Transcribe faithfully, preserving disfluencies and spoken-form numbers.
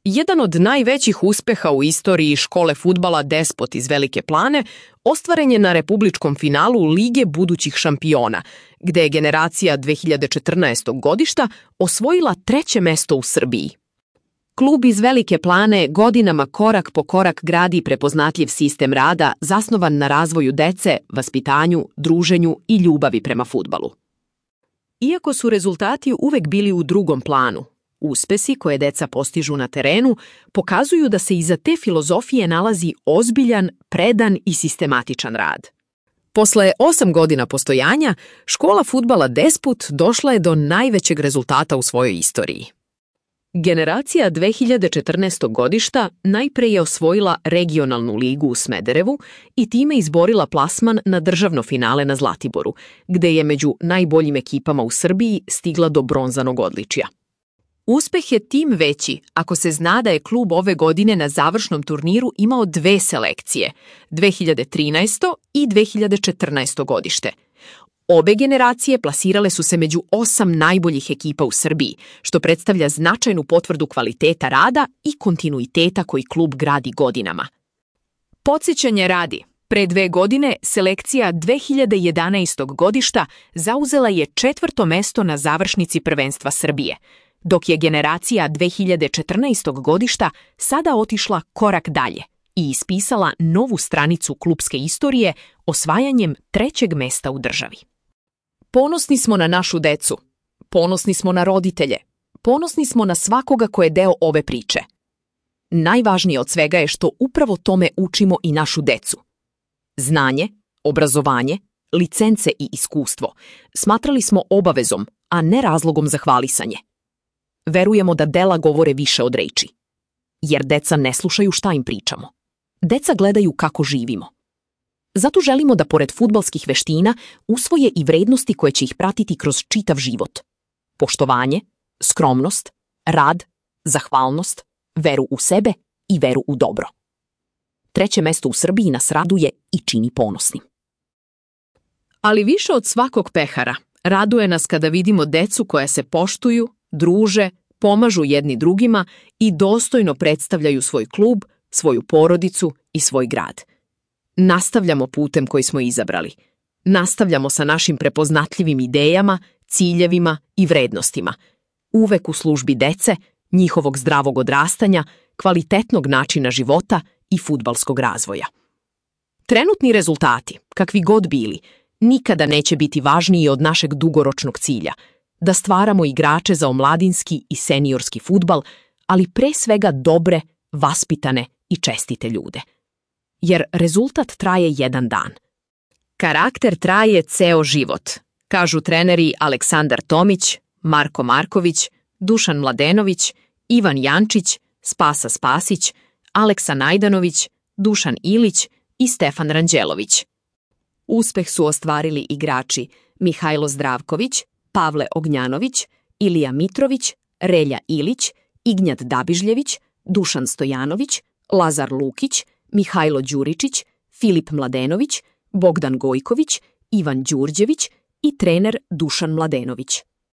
Jedan od najvećih uspeha u istoriji škole fudbala Despot iz Velike Plane ostvaren je na republičkom finalu Lige budućih šampiona, gde je generacija dve hiljade četrnaestog godišta osvojila treće mesto u Srbiji. Klub iz Velike Plane godinama korak po korak gradi prepoznatljiv sistem rada zasnovan na razvoju dece, vaspitanju, druženju i ljubavi prema fudbalu. Iako su rezultati uvek bili u drugom planu, uspesi koje deca postižu na terenu pokazuju da se iza te filozofije nalazi ozbiljan, predan i sistematičan rad. Posle osam godina postojanja, škola fudbala Despot došla je do najvećeg rezultata u svojoj istoriji. Generacija dve hiljade četrnaestog godišta najpre je osvojila regionalnu ligu u Smederevu i time izborila plasman na državno finale na Zlatiboru, gde je među najboljim ekipama u Srbiji stigla do bronzanog odličja. Uspeh je tim veći ako se zna da je klub ove godine na završnom turniru imao dve selekcije, dve hiljade trinaesto i dve hiljade četrnaesto godište. Obe generacije plasirale su se među osam najboljih ekipa u Srbiji, što predstavlja značajnu potvrdu kvaliteta rada i kontinuiteta koji klub gradi godinama. Podsjećanje radi, pre dve godine selekcija dve hiljade jedanaestog godišta zauzela je četvrto mesto na završnici prvenstva Srbije, dok je generacija dve hiljade četrnaestog godišta sada otišla korak dalje i ispisala novu stranicu klubske istorije osvajanjem trećeg mesta u državi. Ponosni smo na našu decu, ponosni smo na roditelje, ponosni smo na svakoga ko je deo ove priče. Najvažnije od svega je što upravo tome učimo i našu decu. Znanje, obrazovanje, licence i iskustvo smatrali smo obavezom, a ne razlogom za hvalisanje. Verujemo da dela govore više od reči, jer deca ne slušaju šta im pričamo. Deca gledaju kako živimo. Zato želimo da pored fudbalskih veština usvoje i vrednosti koje će ih pratiti kroz čitav život. Poštovanje, skromnost, rad, zahvalnost, veru u sebe i veru u dobro. Treće mesto u Srbiji nas raduje i čini ponosnim. Ali više od svakog pehara, raduje nas kada vidimo decu koja se poštuju, druže, pomažu jedni drugima i dostojno predstavljaju svoj klub, svoju porodicu i svoj grad. Nastavljamo putem koji smo izabrali. Nastavljamo sa našim prepoznatljivim idejama, ciljevima i vrednostima. Uvek u službi dece, njihovog zdravog odrastanja, kvalitetnog načina života i fudbalskog razvoja. Trenutni rezultati, kakvi god bili, nikada neće biti važniji od našeg dugoročnog cilja, da stvaramo igrače za omladinski i seniorski fudbal, ali pre svega dobre, vaspitane i čestite ljude. Jer rezultat traje jedan dan. Karakter traje ceo život, kažu treneri Aleksandar Tomić, Marko Marković, Dušan Mladenović, Ivan Jančić, Spasa Spasić, Aleksa Najdanović, Dušan Ilić i Stefan Ranđelović. Uspeh su ostvarili igrači Mihajlo Zdravković, Pavle Ognjanović, Ilija Mitrović, Relja Ilić, Ignjat Dabižljević, Dušan Stojanović, Lazar Lukić, Mihajlo Đuričić, Filip Mladenović, Bogdan Gojković, Ivan Đurđević i trener Dušan Mladenović.